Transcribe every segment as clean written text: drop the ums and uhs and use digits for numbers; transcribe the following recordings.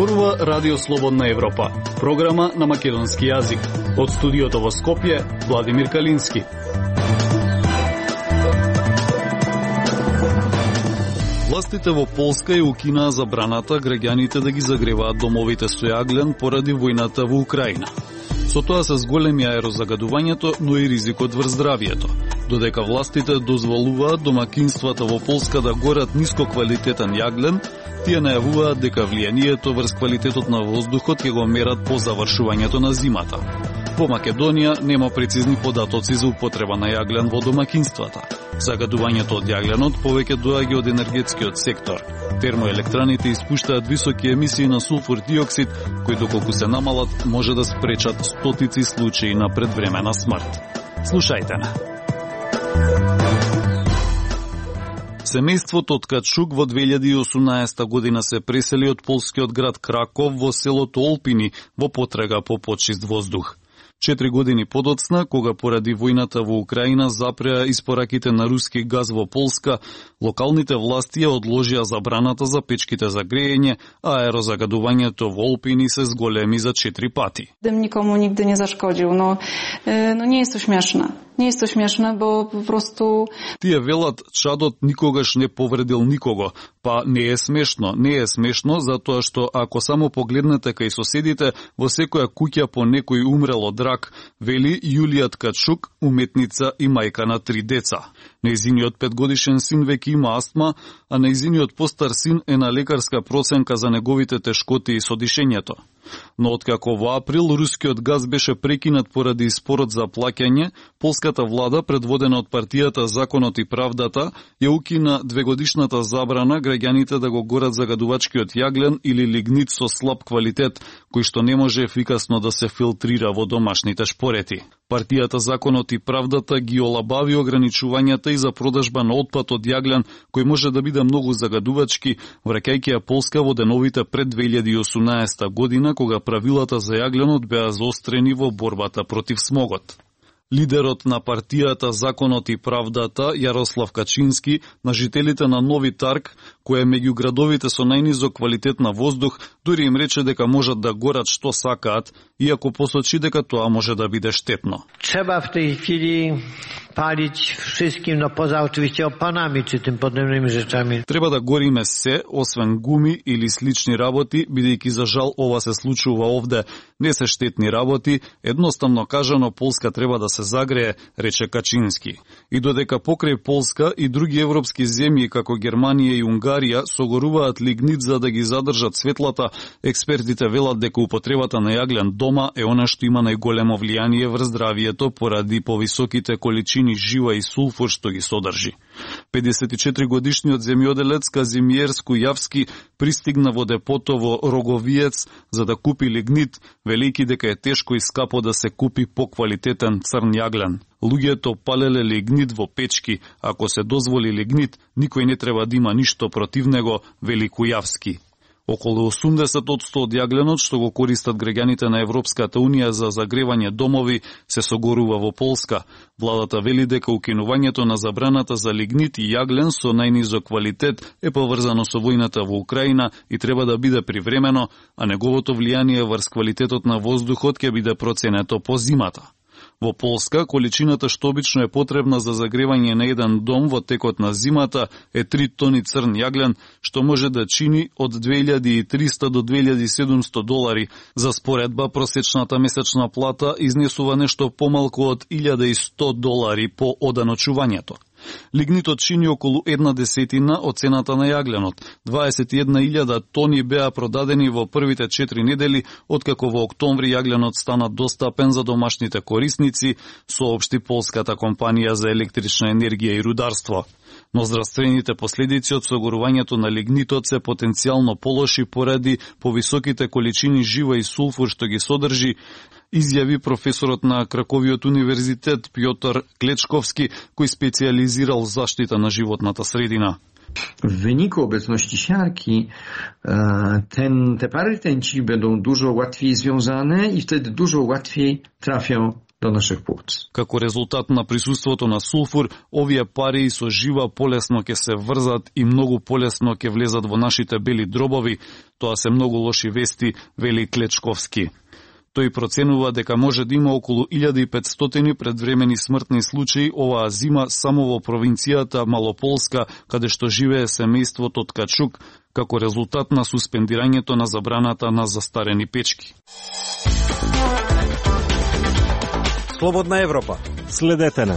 Зборува Радио Слободна Европа, програма на македонски јазик. Од студиото во Скопје, Владимир Калински. Властите во Полска ја укинаа забраната граѓаните да ги загреваат домовите со јаглен поради војната во Украина. Со тоа се зголеми аерозагадувањето, но и ризикот врз здравието. Додека властите дозволуваат домакинствата во Полска да горат нискоквалитетен јаглен, тие најавуваат дека влијанието врз квалитетот на воздухот ќе го мерат по завршувањето на зимата. Во Македонија нема прецизни податоци за употреба на јаглен во домакинствата. Загадувањето од јагленот повеќе доаѓа од енергетскиот сектор. Термоелектраните испуштаат високи емисии на сулфур диоксид, кои доколку се намалат може да спречат стотици случаи на предвремена смрт. Слушајте на. Семејството од Качук во 2018 година се пресели од полскиот град Краков во селото Олпини во потрага по почист воздух. 4 години подоцна, кога поради војната во Украина запреа испораките на руски газ во Полска, локалните власти ја одложија забраната за печките за грејење, а аерозагадувањето во Олпини се зголеми за 4 пати. Дым никому нигде не зашкодил, но не е то смешно. Не е то смешно, бо просто... Тие велат, чадот никогаш не повредил никого. Па не е смешно. Не е смешно, затоа што ако само погледнете кај соседите, во секоја куќа по некој умрел од рак, вели Јулија Ткачук, уметница и мајка на 3 деца. Нејзиниот 5-годишен син веќе има астма, а нејзиниот постар син е на лекарска проценка за неговите тешкоти со дишењето. Но откако во април рускиот газ беше прекинат поради спорот за плаќање, полската влада, предводена од партијата Законот и правдата, ја укина 2-годишната забрана граѓаните да го горат загадувачкиот јаглен или лигнит со слаб квалитет, кој што не може ефикасно да се филтрира во домашните шпорети. Партијата Законот и правдата ги олабави ограничувањата и за продажба на отпад од јаглен, кој може да биде многу загадувачки, враќајќи ја Полска во деновите пред 2018 година, кога правилата за јагленот беа заострени во борбата против смогот. Лидерот на партијата Законот и правдата, Јарослав Качински, на жителите на Нови Тарг, кој е меѓу градовите со најнизок квалитет на воздух, дури им рече дека можат да горат што сакаат, иако посочи дека тоа може да биде штетно. Треба в tej chwili palić wszystkim, no poza oczywiście opanami czy tym podobnymi rzeczami. Треба да гориме се, освен гуми или слични работи, бидејќи за жал ова се случува овде. Не се штетни работи, едноставно кажано Полска треба да се загрее, рече Качински. И додека покрај Полска и други европски земји како Германија и Унгарија согоруваат лигнит за да ги задржат светлата, експертите велат дека употребата на јаглен дома е она што има најголемо влијание врз здравието поради повисоките количини жива и сулфур што ги содржи. 54-годишниот земјоделец Казимиер Скујавски пристигна во депото во Роговиец за да купи лигнит, велики дека е тешко и скапо да се купи поквалитетен црн јаглен. Луѓето палеле лигнит во печки, ако се дозволи лигнит, никој не треба да има ништо против него, вели Кујавски. Околу 80% од јагленот што го користат граѓаните на Европската Унија за загревање домови се согорува во Полска. Владата вели дека укинувањето на забраната за лигнит и јаглен со најнизок квалитет е поврзано со војната во Украина и треба да биде привремено, а неговото влијание врз квалитетот на воздухот ќе биде проценето по зимата. Во Полска, количината што обично е потребна за загревање на еден дом во текот на зимата е 3 тони црн јаглен, што може да чини од 2300 до 2700 долари. За споредба, просечната месечна плата изнесува нешто помалку од 1100 долари по оданочувањето. Лигнитот чини околу 1/10 од цената на јагленот. 21.000 тони беа продадени во првите 4 недели, откако во октомври јагленот стана достапен за домашните корисници, соопшти полската компанија за електрична енергија и рударство. Но здравствените последици од согорувањето на лигнитот се потенцијално полоши поради повисоките количини жива и сулфур што ги содржи, изјави професорот на Краковиот универзитет Пјотр Клечковски, кој специализирал заштита на животната средина. W wyniku obecności siarki te pary rtęci będą dużo łatwiej związane i wtedy dużo łatwiej trafią do naszych płuc. Како резултат на присуството на сулфур, овие пари со жива полесно ќе се врзат и многу полесно ќе влезат во нашите бели дробови. Тоа се многу лоши вести, вели Клечковски. Тој проценува дека може да има околу 1500 предвремени смртни случаи оваа зима само во провинцијата Малополска, каде што живее семејството Ткачук, како резултат на суспендирањето на забраната на застарени печки. Слободна Европа. Следете на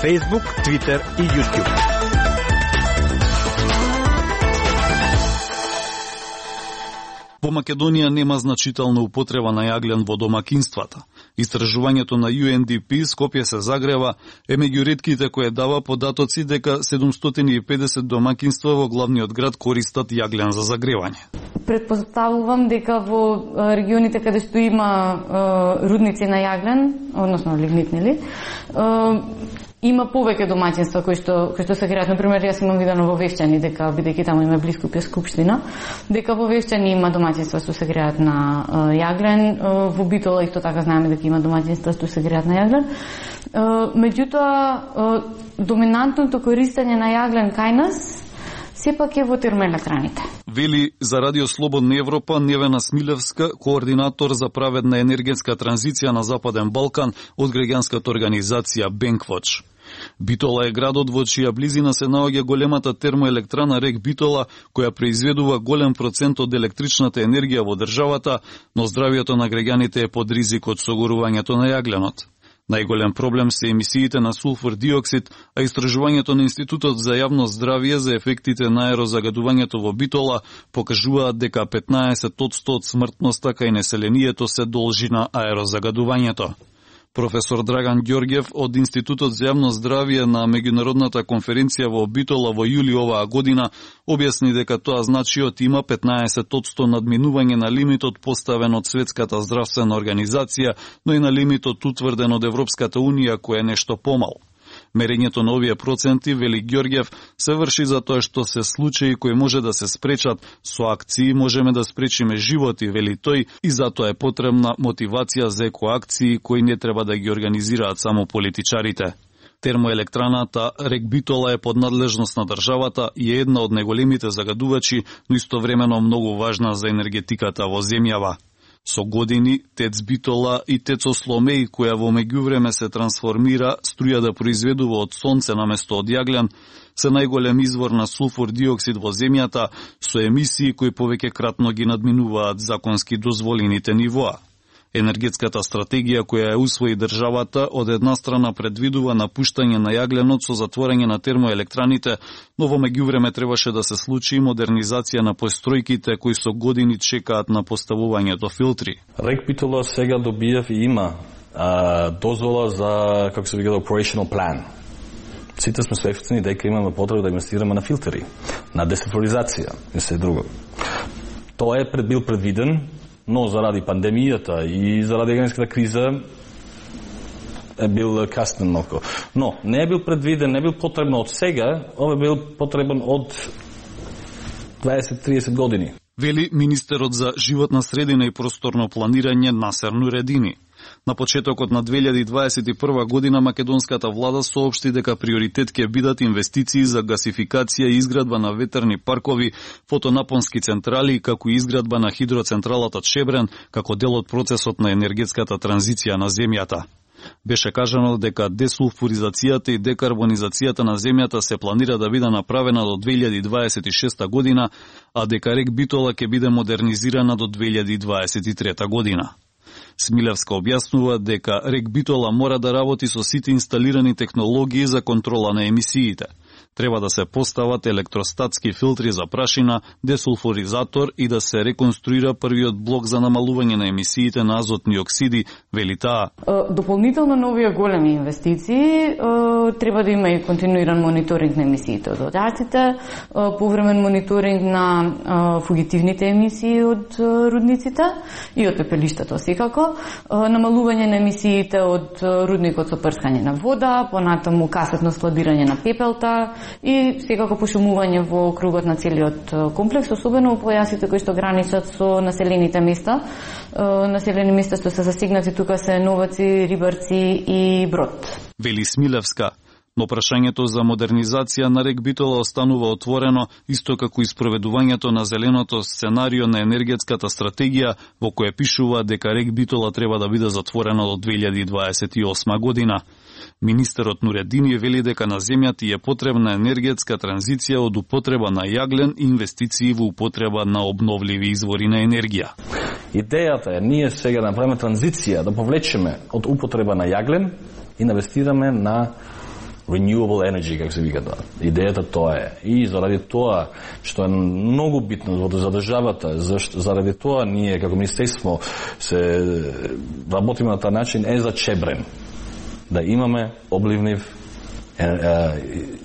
Facebook, Twitter и YouTube. Во Македонија нема значителна употреба на јаглен во домакинствата. Истражувањето на UNDP Скопје се загрева е меѓу ретките кои дава податоци дека 750 домакинства во главниот град користат јаглен за загревање. Предпоставувам дека во регионите каде што има рудници на јаглен, односно лигнит, има повеќе домаќинства кои што се греат. Например, јас имам видено во Вевчани, дека бидејќи таму има близко Скупштина, дека во Вевчани има домаќинства што се греат на јаглен, во Битола исто така знаеме дека има домаќинства што се греат на јаглен. Меѓутоа, доминантното користење на јаглен кај нас сепак е во термоелектраните. Вели за Радио Слободна Европа Невена Смилевска, координатор за праведна енергетска транзиција на Западен Балкан од граѓанската организација Бенквоч. Битола е градот во чија близина се наоѓа големата термоелектрана Рек Битола, која произведува голем процент од електричната енергија во државата, но здравјето на граѓаните е под ризик од согорувањето на јагленот. Најголем проблем се емисиите на сулфур диоксид, а истражувањето на Институтот за јавно здравје за ефектите на аерозагадувањето во Битола покажуваат дека 15% од смртноста кај населението се должи на аерозагадувањето. Професор Драган Ѓорѓев од Институтот за јавно здравје на меѓународната конференција во Битола во јули оваа година објасни дека тоа значиот има 15% надминување на лимитот поставен од Светската здравствена организација, но и на лимитот утврден од Европската унија кој е нешто помал. Мерењето на овие проценти, вели Ѓорѓев, се врши затоа што се случаи кои може да се спречат, со акции можеме да спречиме животи, вели тој, и затоа е потребна мотивација за екоакции кои не треба да ги организираат само политичарите. Термоелектраната Рек Битола е под надлежност на државата и е една од најголемите загадувачи, но истовремено многу важна за енергетиката во земјава. Со години, ТЕЦ Битола и ТЕЦ Осломеј, која во меѓувреме се трансформира, струја да произведува од сонце наместо од јаглен, се најголем извор на сулфур диоксид во земјата, со емисии кои повеќекратно ги надминуваат законски дозволените нивоа. Енергетската стратегија која ја усвои државата од една страна предвидува напуштање на јагленот со затворање на термоелектраните, но во меѓувреме требаше да се случи и модернизација на постројките кои со години чекаат на поставувањето филтри. Рек Битола сега добиев и има дозвола за, како се вика, operational plan. Сите сме свесни дека имаме потреба да инвестираме на филтери, на десатуризација и се друго. Тоа е бил предвиден, но заради пандемијата и заради економската криза е бил каснен малку. Но не е бил предвиден, не е бил потребно од сега, ова е бил потребен од 20-30 години. Вели министерот за животна средина и просторно планирање Насер Нуредини. На почетокот на 2021 година македонската влада соопшти дека приоритет ќе бидат инвестиции за гасификација и изградба на ветерни паркови, фотонапонски централи, како и изградба на хидроцентралата Чебрен, како дел од процесот на енергетската транзиција на земјата. Беше кажано дека десулфуризацијата и декарбонизацијата на земјата се планира да биде направена до 2026 година, а дека Рек Битола ќе биде модернизирана до 2023 година. Смилевска објаснува дека Рек Битола мора да работи со сите инсталирани технологии за контрола на емисиите. Треба да се постават електростатски филтри за прашина, десулфуризатор и да се реконструира првиот блок за намалување на емисиите на азотни оксиди, вели таа. Дополнително на овие големи инвестиции треба да има и континуиран мониторинг на емисиите од оджаците, повремен мониторинг на фугитивните емисии од рудниците и од пепелиштата секако, намалување на емисиите од рудникот со прскање на вода, понатаму касетно складирање на пепелта, и секако пошумување во кругот на целиот комплекс, особено во појасите кои што граничат со населените места. Населени места што се засегнати тука се Новаци, Рибарци и Брод. Вели Смилевска. Но прашањето за модернизација на рек Битола останува отворено, исто како и спроведувањето на зеленото сценарио на енергетската стратегија, во која пишува дека рек Битола треба да биде затворено до 2028 година. Министерот Нуредини вели дека на земјата е потребна енергетска транзиција од употреба на јаглен и инвестиции во употреба на обновливи извори на енергија. Идејата е ние сега да направиме транзиција, да повлечеме од употреба на јаглен и инвестираме на renewable energy, како се вика тоа. Идејата тоа е. И заради тоа, што е многу битно за државата, заради тоа ние, како министерство, се работиме на тај начин, е за Чебрен. Да имаме обливнив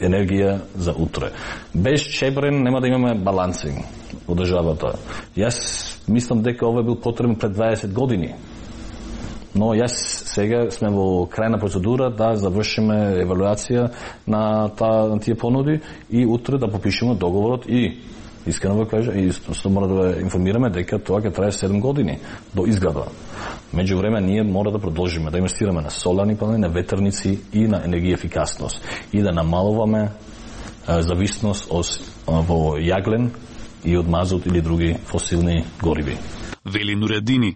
енергија за утре. Без Чебрен нема да имаме балансинг во државата. Јас мислам дека ова бил потребен пред 20 години. Но јас сега сме во крајна процедура да завршиме евалуација на тие понуди и утре да подпишеме договорот и искрено ве кажа и што мора да информираме дека тоа ќе трае 7 години до изграда. Меѓувреме ние мора да продолжиме да инвестираме на соларни панели, на ветерници и на енергија ефикасност и да намалуваме зависност во јаглен и од мазут или други фосилни гориви. Вели Нуредини.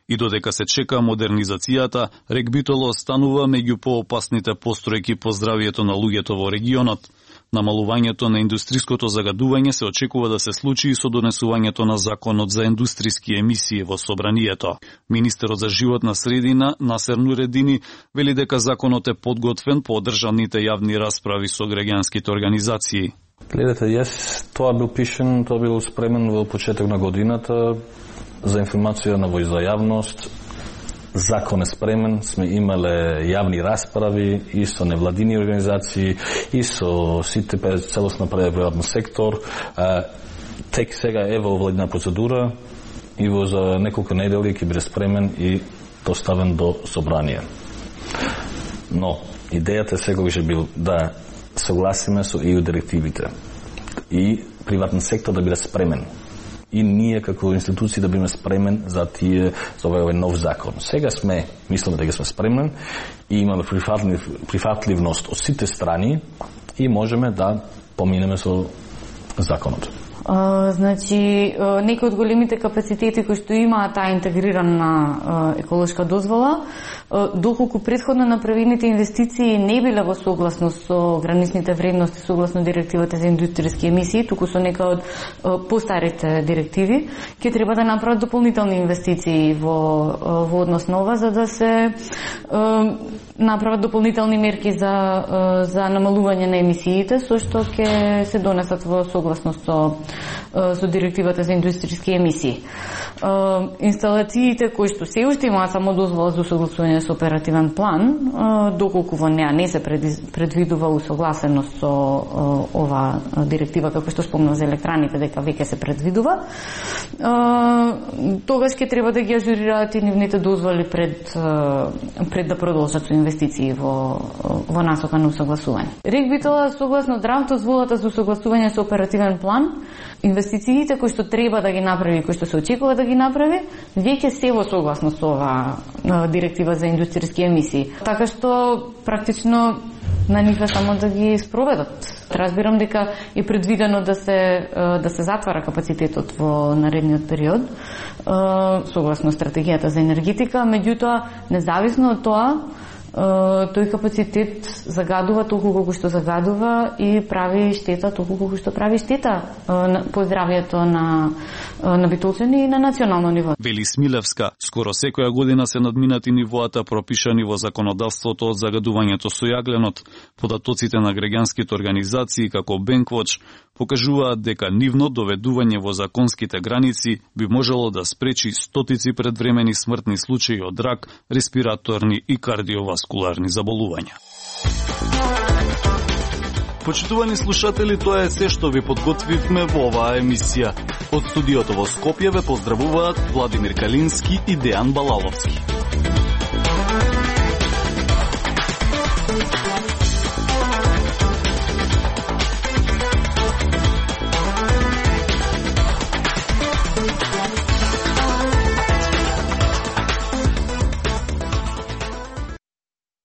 И додека се чека модернизацијата, рек Битола останува меѓу поопасните постројки по здравието на луѓето во регионот. Намалувањето на индустриското загадување се очекува да се случи и со донесувањето на законот за индустријски емисии во собранието. Министерот за животна средина Насер Нуредини вели дека законот е подготвен по одржаните јавни расправи со граѓанските организации. Гледате, јас тоа бил спремен во почеток на годината за информација на за јавност. Закон е спремен, сме имале јавни расправи и со невладини организации, и со сите целосно приватен сектор. Тек сега е во владина процедура и во за неколку недели ќе биде спремен и доставен до собрание. Но идејата секогаш бил да согласиме со EU директивите и приватен сектор да биде спремен. И ние како институции да бидеме спремен за овој нов закон. Сега мислиме дека сме спремни и имаме прифатливност од сите страни и можеме да поминеме со законот. Значи, некои од големите капацитети кои што имаат таа интегрирана еколошка дозвола, доколку предходно направените инвестиции не биле во согласност со граничните вредности согласно директивата за индустријски емисии, туку со некои од постарите директиви, ќе треба да направат дополнителни инвестиции во однос на ова, за да се направат дополнителни мерки за намалување на емисиите, со што ќе се донесат во согласност со директивата за индустријски емисии. Инсталациите кои што се уште имаат само дозвола за согласување со оперативен план, доколку во неа не се предвидува усогласеност со ова директива, како што спомнав за електраните, дека веќе се предвидува, тогаш ќе треба да ги ажурираат и нивните дозволи пред да продолжат со инвестиции во насока на усогласување. Рек Битола, согласно драфт дозволата за усогласување со оперативен план, инвестициите кои што треба да ги направи, кои што се очекува да ги направи, веќе се во согласност со ова директива за индустријски емисии. Така што практично на нив е само да ги спроведат. Разбирам дека е предвидено да се затвара капацитетот во наредниот период, согласно стратегијата за енергетика, меѓутоа независно од тоа, тој капацитет загадува толку колку што загадува и прави штета толку колку што прави штета по здравјето на битолчани и на национално ниво. Вели Смилевска, скоро секоја година се надминати нивоата пропишани во законодавството од загадувањето со јагленот. Податоците на граѓанските организации како Бенквоч покажуваат дека нивно доведување во законските граници би можело да спречи стотици предвремени смртни случаи од рак, респираторни и кардиоваскуларни заболувања. Почитувани слушатели, тоа е се што ви подготвивме во оваа емисија. Од студиото во Скопје ве поздравуваат Владимир Калински и Дејан Балаловски.